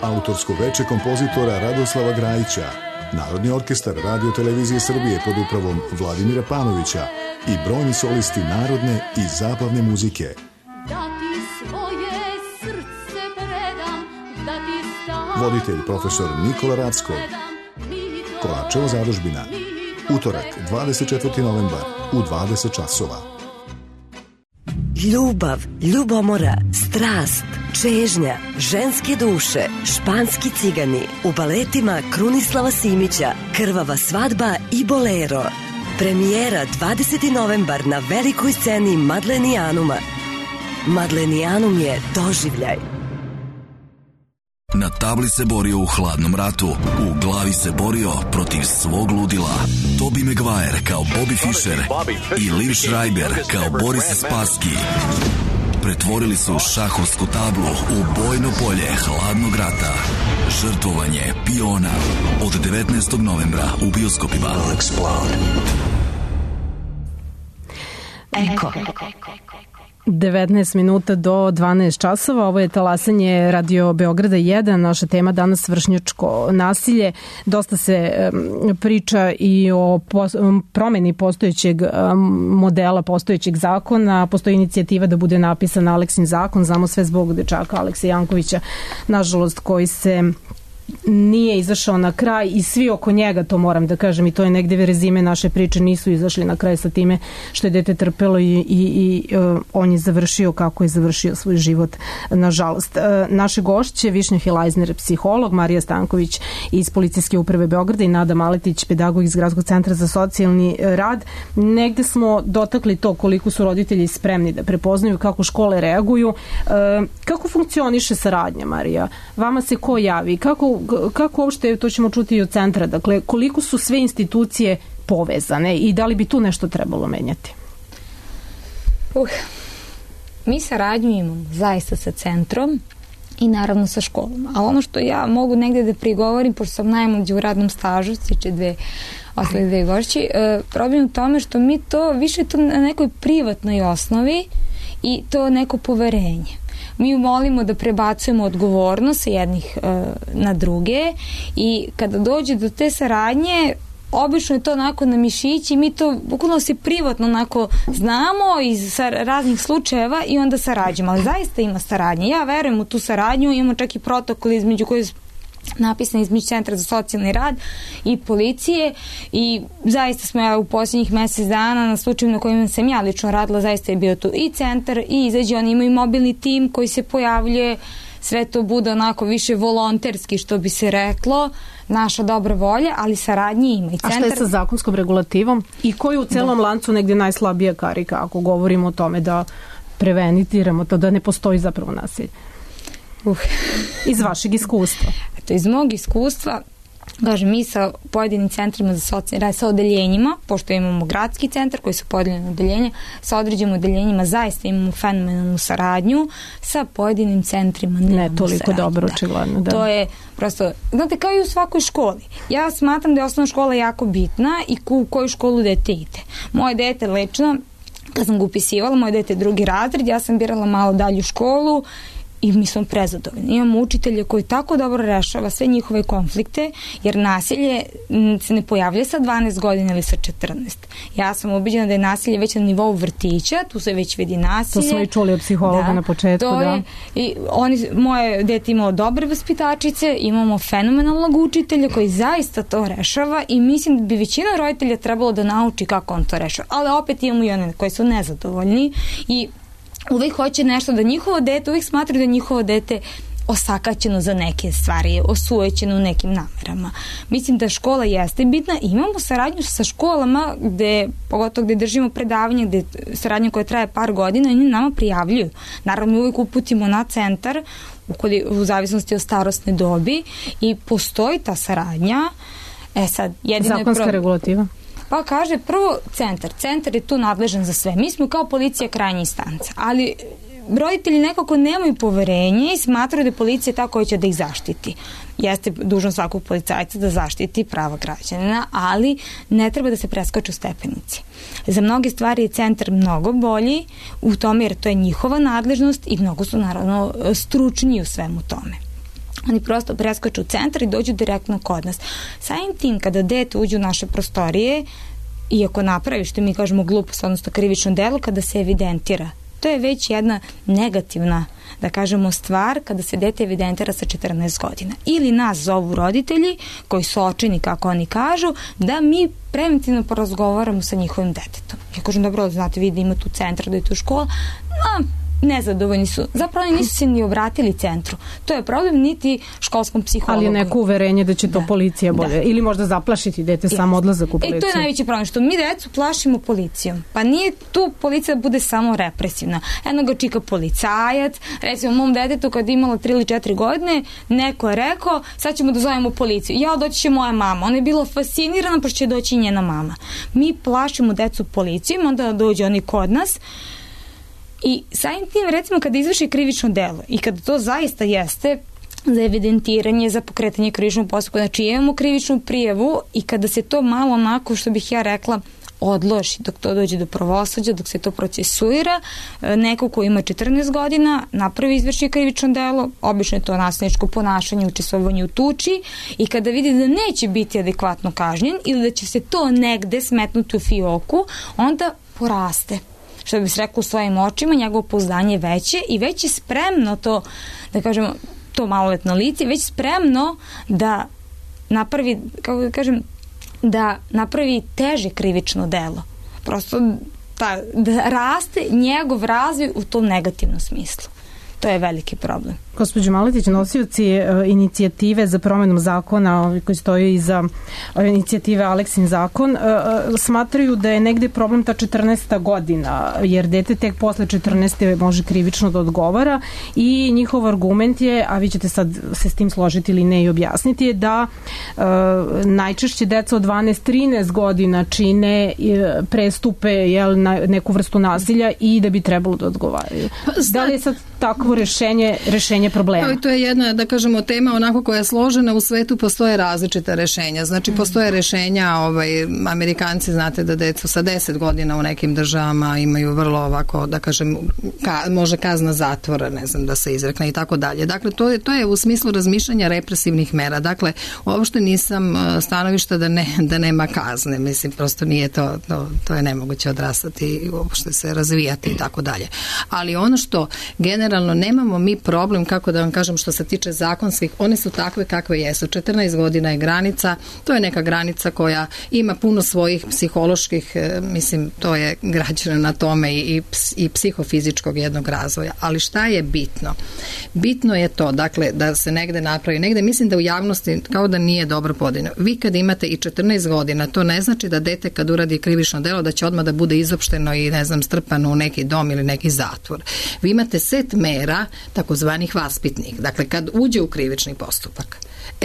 Speaker 12: autorsko veče kompozitora Radoslava Grajića, Narodni orkestar Radio Televizije Srbije pod upravom Vladimira Panovića i brojni solisti narodne i zabavne muzike. Voditelj profesor Nikola Rackov. Kolarčeva zadužbina. Utorak, 24. novembar u 20 časova.
Speaker 13: Ljubav, ljubomora, strast, čežnja, ženske duše, španski cigani, u baletima Krunislava Simića, Krvava svadba i Bolero. Premijera 20. novembar na velikoj sceni Madlenijanuma. Madlenijanum je doživljaj.
Speaker 14: Na tabli se borio u hladnom ratu, u glavi se borio protiv svog ludila. Tobey Maguire kao Bobby Fischer i Liv Schreiber kao Boris Spassky pretvorili su šahovsku tablu u bojno polje hladnog rata. Žrtvovanje piona od 19. novembra u bioskopima.
Speaker 13: Eko.
Speaker 4: 19 minuta do 12 časova. Ovo je talasanje Radio Beograda 1. Naša tema danas vršnjačko nasilje. Dosta se priča i o promeni postojećeg modela, postojećeg zakona. Postoji inicijativa da bude napisan Aleksin zakon. Znamo sve zbog dečaka Aleksa Jankovića, nažalost, koji se nije izašao na kraj i svi oko njega, to moram da kažem, i to je negde rezime naše priče, nisu izašli na kraj sa time što je dete trpelo i on je završio kako je završio svoj život, nažalost. Naše gošće, Višnja Hilajzner, psiholog, Marija Stanković iz Policijske uprave Beograda i Nada Maletić, pedagog iz Gradskog centra za socijalni rad. Negde smo dotakli to koliko su roditelji spremni da prepoznaju, kako škole reaguju. Kako funkcioniše saradnja, Marija? Vama se ko javi? Kako uopšte, to ćemo čuti i od centra, dakle, koliko su sve institucije povezane i da li bi tu nešto trebalo menjati?
Speaker 7: Mi saradnju imamo zaista sa centrom i naravno sa školom. A ono što ja mogu negde da prigovorim, pošto sam najmlađa u radnom stažu, stiče ostale dve gošći, problem u tome što mi to više to na nekoj privatnoj osnovi i to neko poverenje. Mi molimo da prebacujemo odgovornost sa jednih na druge i kada dođe do te saradnje, obično je to onako na mišići, mi to bukvalno se privatno onako znamo iz raznih slučajeva i onda sarađujemo, ali zaista ima saradnje. Ja verujem u tu saradnju, imamo čak i protokol između koji napisan između Centra za socijalni rad i policije i zaista smo u posljednjih mesec dana na slučaju na kojima sam ja lično radila, zaista je bio tu i centar i izađe, oni imaju mobilni tim koji se pojavljuje, sve to bude onako više volonterski, što bi se reklo, naša dobra volja, ali saradnje ima. I centar... A šta je sa zakonskom regulativom? I koji u celom lancu negdje najslabija karika, ako govorimo o tome da prevenitiramo to, da ne postoji zapravo nasilje? Iz vašeg iskustva? Iz mog iskustva, kažem, mi sa pojedinim centrima za socijalni rad, sa odeljenjima, pošto imamo gradski centar koji su podeljeni odeljenja, sa određenim odeljenjima zaista imamo fenomenalnu saradnju, sa pojedinim centrima nemamo
Speaker 4: ne toliko
Speaker 7: saradnju.
Speaker 4: Dobro, očigledno. Da.
Speaker 7: To je prosto, znate, kao i u svakoj školi. Ja smatram da je osnovna škola jako bitna i u koju školu dete ide. Moje dete lično, kad sam ga upisivala, moje dete je 2. razred, ja sam birala malo dalju školu i mi smo prezadovoljni. Imamo učitelje koji tako dobro rešava sve njihove konflikte, jer nasilje se ne pojavlja sa 12 godina ili sa 14. Ja sam ubeđena da je nasilje već na nivou vrtića, tu se već vidi nasilje.
Speaker 4: To smo i čuli od psihologa na početku.
Speaker 7: I moje dete imalo dobre vaspitačice, imamo fenomenalnog učitelja koji zaista to rešava i mislim da bi većina roditelja trebalo da nauči kako on to rešava. Ali opet imamo i one koji su nezadovoljni i uvek hoće nešto da njihovo dete, uvek smatraju da njihovo dete osakaćeno za neke stvari, osujećeno u nekim namerama. Mislim da škola jeste bitna. Imamo saradnju sa školama, pogotovo gde držimo predavanje, gde saradnja koja traje par godina i oni nama prijavljuju. Naravno, mi uvijek uputimo na centar u zavisnosti od starosne dobi i postoji ta saradnja.
Speaker 4: Zakonska regulativa?
Speaker 7: Pa kaže, prvo centar je tu nadležan za sve. Mi smo kao policija krajnja instanca, ali roditelji nekako nemaju poverenje i smatraju da je policija ta koja će da ih zaštiti. Jeste dužnost svakog policajca da zaštiti prava građana, ali ne treba da se preskaču stepenici. Za mnoge stvari je centar mnogo bolji u tome jer to je njihova nadležnost i mnogo su naravno stručniji u svemu tome. Oni prosto preskaču centar i dođu direktno kod nas. Samim tim, kada dete uđe u naše prostorije, iako napravi, što mi kažemo glupost, odnosno krivično delo, kada se evidentira, to je već jedna negativna, da kažemo, stvar kada se dete evidentira sa 14 godina. Ili nas zovu roditelji, koji su očajni, kako oni kažu, da mi preventivno porazgovaramo sa njihovim detetom. Ja kažem, dobro, znate, vi da ima tu centar, da je tu škola, nezadovoljni su. Zapravo oni nisu se ni obratili centru. To je problem niti školskom psihologu.
Speaker 4: Ali je neko uverenje da će to policija bolje. Ili možda zaplašiti dete samo odlazak u policiju.
Speaker 7: To je najveći problem, što mi decu plašimo policijom. Pa nije tu policija da bude samo represivna. Jedno ga čika policajac. Recimo, mom detetu kad je imala 3 ili 4 godine, neko je rekao, sad ćemo da zovemo policiju. Doći će moja mama. Ona je bila fascinirana, pa će doći njena mama. Mi plašimo decu policijom, onda dođe oni kod nas. I samim tim, recimo, kada izvrši krivično delo i kada to zaista jeste za evidentiranje, za pokretanje krivičnog postupka, znači imamo krivičnu prijavu i kada se to malo onako, što bih ja rekla, odloži dok to dođe do pravosuđa, dok se to procesuira, neko ko ima 14 godina napravi izvrši krivično delo, obično je to nasilničko ponašanje, učestvovanje u tuči i kada vidi da neće biti adekvatno kažnjen ili da će se to negde smetnuti u fioku, onda poraste. Što bi se reklo u svojim očima, njegovo pouzdanje je veće i već je spremno to, da kažemo, to maloletno lice, već spremno da napravi, kako da kažem, da napravi teže krivično delo. Prosto da raste njegov razvoj u tom negativnom smislu. To je veliki problem.
Speaker 4: Gospođo Maletić, nosioci inicijative za promenu zakona koji stoji iza inicijative Aleksin zakon smatraju da je negde problem ta 14. godina, jer dete tek posle 14. može krivično da odgovara i njihov argument je, a vi ćete sad se s tim složiti ili ne i objasniti, je da najčešće deca od 12-13 godina čine prestupe na neku vrstu nasilja i da bi trebalo da odgovaraju. Da li je sad takvo rešenje problema?
Speaker 5: To je jedna, da kažemo, tema onako koja je složena. U svetu postoje različita rešenja. Znači, postoje rešenja, Amerikanci, znate da decu sa 10 godina u nekim državama imaju vrlo ovako, da kažem, može kazna zatvora, ne znam, da se izrekne i tako dalje. Dakle, to je u smislu razmišljanja represivnih mera. Dakle, uopšte nisam stanovišta da nema kazne. Mislim, prosto nije to je nemoguće odrastati i uopšte se razvijati i tako dalje. Ali ono što generalno nemamo mi problem, kako da vam kažem, što se tiče zakonskih, one su takve kakve jesu. 14 godina je granica, to je neka granica koja ima puno svojih psiholoških, mislim, to je građeno na tome i psihofizičkog jednog razvoja. Ali šta je bitno? Bitno je to, dakle, da se negde napravi, negde mislim da u javnosti kao da nije dobro podeljeno. Vi kad imate i 14 godina, to ne znači da dete kad uradi krivično delo da će odmah da bude izopšteno i, ne znam, strpano u neki dom ili neki zatvor. Vi imate set mera, takozvanih vaspitnih. Dakle, kad uđe u krivični postupak.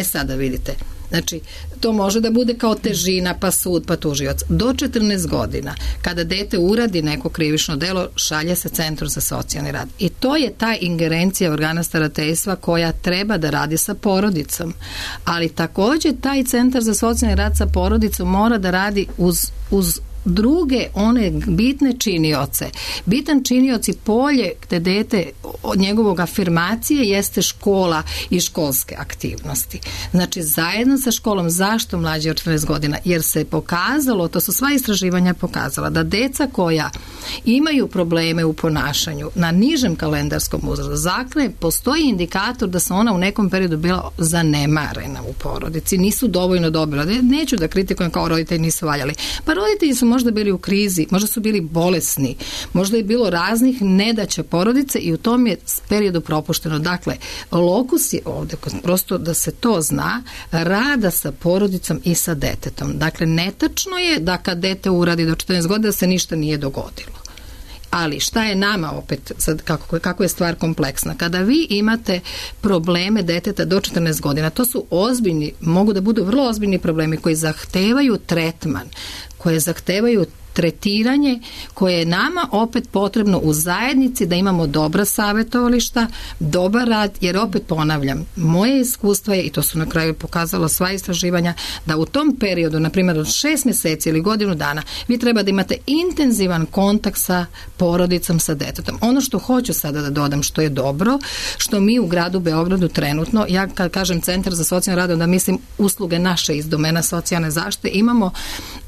Speaker 5: Sada vidite, znači, to može da bude kao težina, pa sud, pa tužioc. Do 14 godina, kada dete uradi neko krivično delo, šalje se Centru za socijalni rad. I to je ta ingerencija organa starateljstva koja treba da radi sa porodicom. Ali takođe taj Centar za socijalni rad sa porodicom mora da radi uz druge one bitne činioce. Bitan činioc i polje gde dete od njegovog afirmacije jeste škola i školske aktivnosti. Znači zajedno sa školom. Zašto mlađe od 14 godina? Jer se pokazalo, to su sva istraživanja pokazala, da deca koja imaju probleme u ponašanju na nižem kalendarskom uzrastu, dakle postoji indikator da su ona u nekom periodu bila zanemarena u porodici, nisu dovoljno dobro. Neću da kritikujem kao roditelji nisu valjali. Pa roditelji su možda bili u krizi, možda su bili bolesni, možda je bilo raznih nedaća porodice i u tom je periodu propušteno. Dakle, lokus je ovde, prosto da se to zna, rada sa porodicom i sa detetom. Dakle, netačno je da kad dete uradi do 14 godina se ništa nije dogodilo. Ali šta je nama opet, sad kako je stvar kompleksna? Kada vi imate probleme deteta do 14 godina, to su ozbiljni, mogu da budu vrlo ozbiljni problemi koji zahtevaju tretman, koje zahtevaju tretiranje, koje je nama opet potrebno u zajednici da imamo dobra savjetovališta, dobar rad, jer opet ponavljam, moje iskustvo je, i to su na kraju pokazalo sva istraživanja, da u tom periodu, na primjer od 6 mjeseci ili godinu dana, vi treba da imate intenzivan kontakt sa porodicom, sa detetom. Ono što hoću sada da dodam, što je dobro, što mi u gradu Beogradu trenutno, ja kad kažem Centar za socijalni rad, onda mislim usluge naše iz domena socijalne zaštite, imamo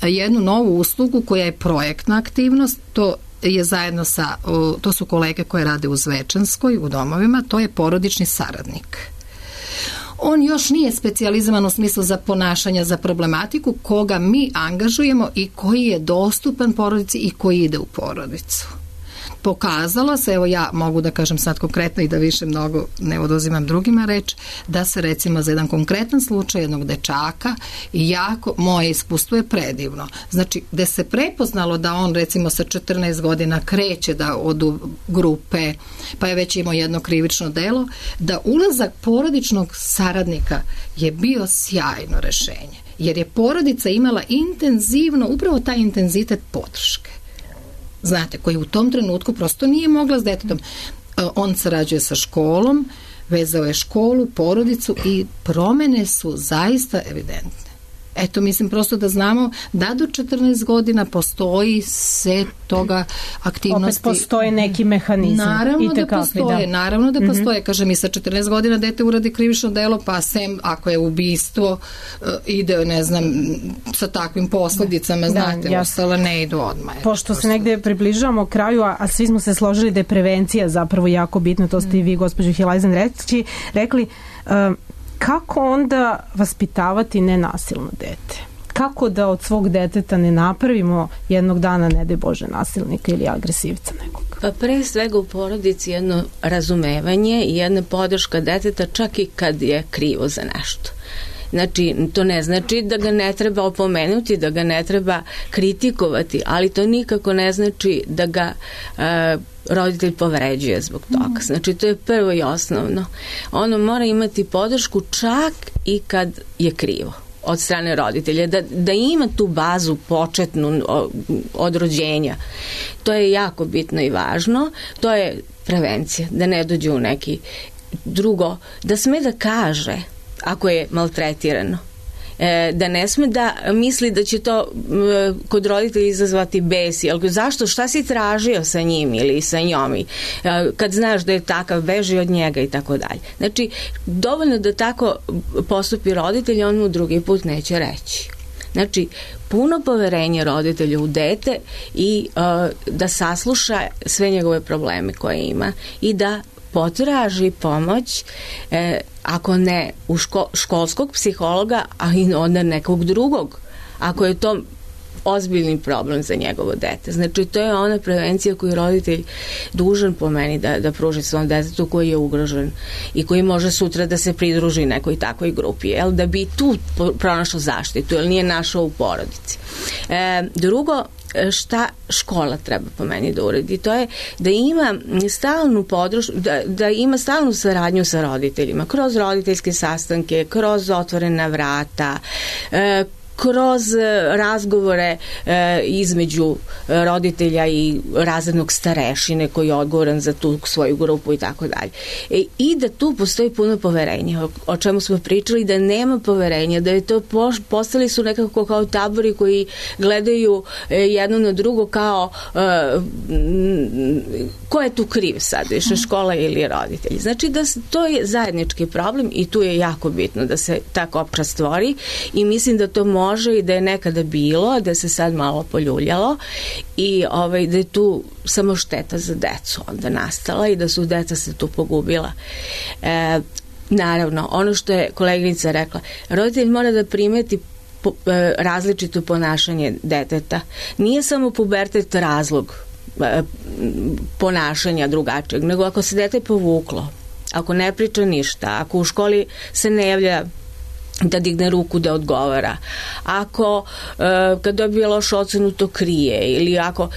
Speaker 5: jednu novu uslugu koja je projektna aktivnost, to je zajedno sa, to su kolege koje rade u Zvečanskoj, u domovima, to je porodični saradnik. On još nije specijalizovan u smislu za ponašanja, za problematiku, koga mi angažujemo i koji je dostupan porodici i koji ide u porodicu. Pokazalo se, evo ja mogu da kažem sad konkretno i da više mnogo ne oduzimam drugima reč, da se recimo za jedan konkretan slučaj jednog dečaka i jako, moje iskustvo je predivno. Znači, gde se prepoznalo da on recimo sa 14 godina kreće da od grupe, pa je već imao jedno krivično delo, da ulazak porodičnog saradnika je bio sjajno rešenje. Jer je porodica imala intenzivno, upravo taj intenzitet podrške. Znate, koji u tom trenutku prosto nije mogla s detetom. On sarađuje sa školom, vezao je školu, porodicu i promene su zaista evidentne. Eto, mislim prosto da znamo da do 14 godina postoji set toga aktivnosti.
Speaker 4: Opet postoje neki mehanizam.
Speaker 5: Naravno da postoje. Kažem, i sa 14 godina dete uradi krivično delo, pa sem ako je ubistvo, ide, ne znam, sa takvim posljedicama, znate, ostala ne idu odmah.
Speaker 4: Pošto se negde približavamo kraju, a svi smo se složili da je prevencija zapravo jako bitna, to ste i vi, gospođo Hilajzen, rekli, kako onda vaspitavati nenasilno dete? Kako da od svog deteta ne napravimo jednog dana, ne daj Bože, nasilnika ili agresivca nekog?
Speaker 8: Pa pre svega u porodici jedno razumevanje i jedna podrška deteta čak i kad je krivo za nešto. Znači, to ne znači da ga ne treba opomenuti, da ga ne treba kritikovati, ali to nikako ne znači da ga roditelj povređuje zbog toga. Znači, to je prvo i osnovno. Ono mora imati podršku čak i kad je krivo od strane roditelja, da ima tu bazu početnu od rođenja. To je jako bitno i važno. To je prevencija, da ne dođe u neki drugo, da sme da kaže ako je maltretirano. Da ne sme da misli da će to kod roditelja izazvati bes. Zašto? Šta si tražio sa njim ili sa njom? Kad znaš da je takav, beži od njega i tako dalje. Znači, dovoljno da tako postupi roditelj, on mu drugi put neće reći. Znači, puno poverenje roditelju u dete i da sasluša sve njegove probleme koje ima i da potraži pomoć, ako ne u školskog psihologa, a i onda nekog drugog, ako je to ozbiljni problem za njegovo dete. Znači, to je ona prevencija koju roditelj dužan po meni da pruži svom detetu koji je ugrožen i koji može sutra da se pridruži nekoj takvoj grupi, da bi tu pronašao zaštitu, jer nije našao u porodici. Drugo, šta škola treba po meni da uredi, to je da ima stalnu podršku, da ima stalnu saradnju sa roditeljima, kroz roditeljske sastanke, kroz otvorena vrata, kroz razgovore između roditelja i razrednog starešine koji je odgovoran za tu svoju grupu i tako dalje. I da tu postoji puno poverenja, o čemu smo pričali, da nema poverenja, da je to postali su nekako kao tabori koji gledaju jedno na drugo kao ko je tu kriv sad, više škola ili roditelji. Znači da to je zajednički problem i tu je jako bitno da se ta kopča stvori i mislim da to može i da je nekada bilo, da se sad malo poljuljalo i da je tu samo šteta za decu onda nastala i da su deca se tu pogubila. Naravno, ono što je koleginica rekla, roditelj mora da primeti različito ponašanje deteta. Nije samo pubertet razlog ponašanja drugačijeg, nego ako se dete povuklo, ako ne priča ništa, ako u školi se ne javlja da digne ruku da odgovara, ako kad dobije lošu ocenu to krije ili ako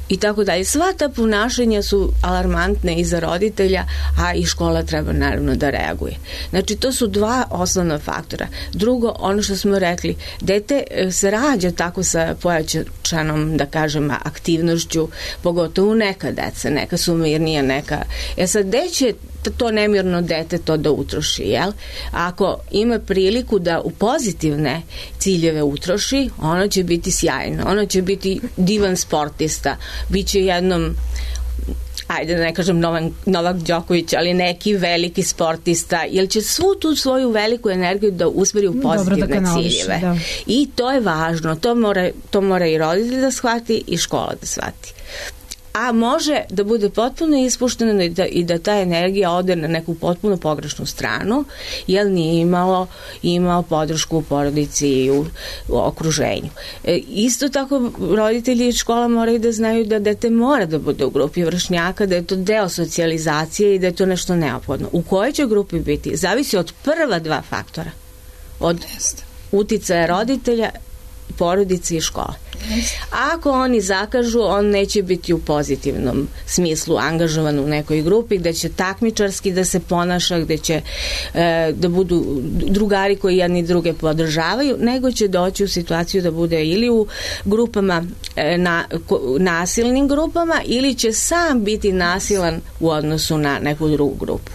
Speaker 8: i tako dalje. Sva ta ponašanja su alarmantne i za roditelja, a i škola treba naravno da reaguje. Znači, to su dva osnovna faktora. Drugo, ono što smo rekli, dete se rađa tako sa pojačanom, da kažem, aktivnošću, pogotovo neka deca, neka su mirnija, neka... Sad, gde će to nemirno dete to da utroši, jel? Ako ima priliku da u pozitivne ciljeve utroši, ono će biti sjajno, ono će biti divan sportista, bit će jednom, ajde da ne kažem Novak Đoković, ali neki veliki sportista, jer će svu tu svoju veliku energiju da usmeri u pozitivne ciljeve. Da. I to je važno, to mora i roditelj da shvati i škola da shvati. A može da bude potpuno ispušteno i da ta energija ode na neku potpuno pogrešnu stranu, jer nije imao podršku u porodici i u okruženju. Isto tako roditelji i škola moraju da znaju da dete mora da bude u grupi vršnjaka, da je to deo socijalizacije i da je to nešto neophodno. U kojoj će grupi biti? Zavisi od prva dva faktora. Od uticaja roditelja, porodice i škole. Ako oni zakažu, on neće biti u pozitivnom smislu angažovan u nekoj grupi, gde će takmičarski da se ponaša, gde će da budu drugari koji jedni druge podržavaju, nego će doći u situaciju da bude ili u grupama, nasilnim grupama, ili će sam biti nasilan u odnosu na neku drugu grupu.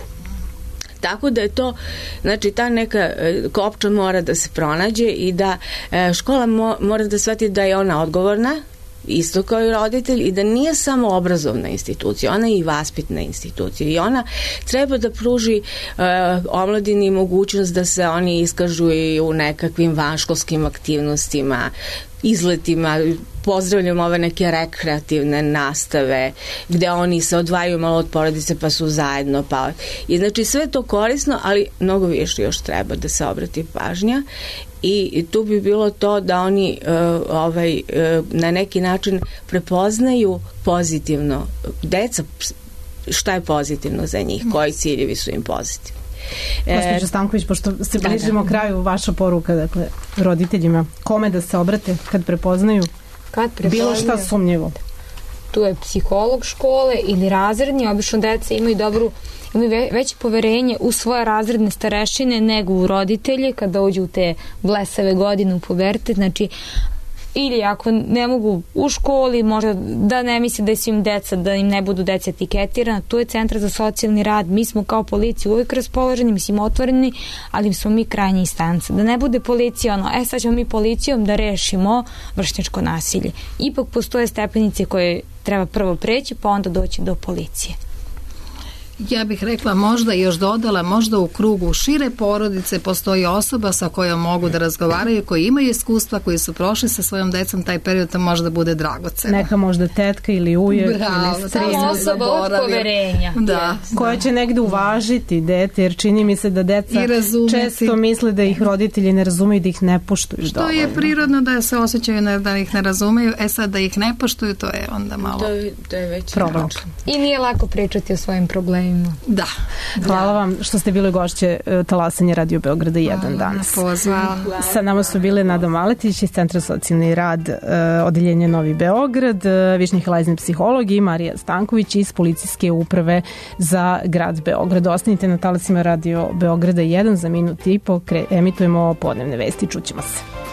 Speaker 8: Tako da je to, znači ta neka kopča mora da se pronađe i da škola mora da shvati da je ona odgovorna, isto kao i roditelj, i da nije samo obrazovna institucija, ona je i vaspitna institucija i ona treba da pruži omladini mogućnost da se oni iskažu i u nekakvim vanškolskim aktivnostima, izletima, pozdravljam ove neke rekreativne nastave gde oni se odvajaju malo od porodice pa su zajedno. I znači sve to korisno, ali mnogo više još treba da se obrati pažnja i tu bi bilo to da oni na neki način prepoznaju pozitivno deca, šta je pozitivno za njih, koji ciljevi su im pozitivni.
Speaker 4: Gospođo Stanković, pošto se bližimo kraju, vaša poruka, dakle, roditeljima, kome da se obrate kad prepoznaju bilo šta sumnjivo?
Speaker 7: Tu je psiholog škole ili razredni, obično deca imaju veće poverenje u svoje razredne starešine nego u roditelje kada dođu u te blesave godine u pubertet, znači ili ako ne mogu u školi, možda da ne misle da su im deca, da im ne budu deca etiketirana, tu je Centar za socijalni rad, mi smo kao policija uvijek raspoloženi, mislim otvoreni, ali smo mi krajnja instanca. Da ne bude policija sad ćemo mi policijom da rešimo vršnjačko nasilje. Ipak postoje stepenice koje treba prvo preći, pa onda doći do policije.
Speaker 5: Ja bih rekla, možda još dodala, možda u krugu šire porodice postoji osoba sa kojom mogu da razgovaraju, koji imaju iskustva, koji su prošli sa svojom decom taj period, to možda bude dragoceno.
Speaker 4: Neka možda tetka ili ujak ili strin.
Speaker 7: Osoba od poverenja.
Speaker 5: Da.
Speaker 4: Koja će negde uvažiti dete, jer čini mi se da deca često misle da ih roditelji ne razumeju, da ih ne poštuju.
Speaker 5: Što je prirodno da se osjećaju da ih ne razumeju, sad da ih ne poštuju, to je onda malo
Speaker 8: to je već
Speaker 4: problem.
Speaker 7: I nije lako pričati o svojim problemima.
Speaker 5: Da.
Speaker 4: Hvala vam što ste bile gošće Talasanje Radio Beograda 1 danas. Sa nama su bile Nada Maletić iz Centra socijalni rad odeljenje Novi Beograd, Višnja Helajzin psiholog i Marija Stanković iz Policijske uprave za grad Beograd. Ostanite na talasima Radio Beograda 1, za minut i po emitujemo podnevne vesti. Čućemo se.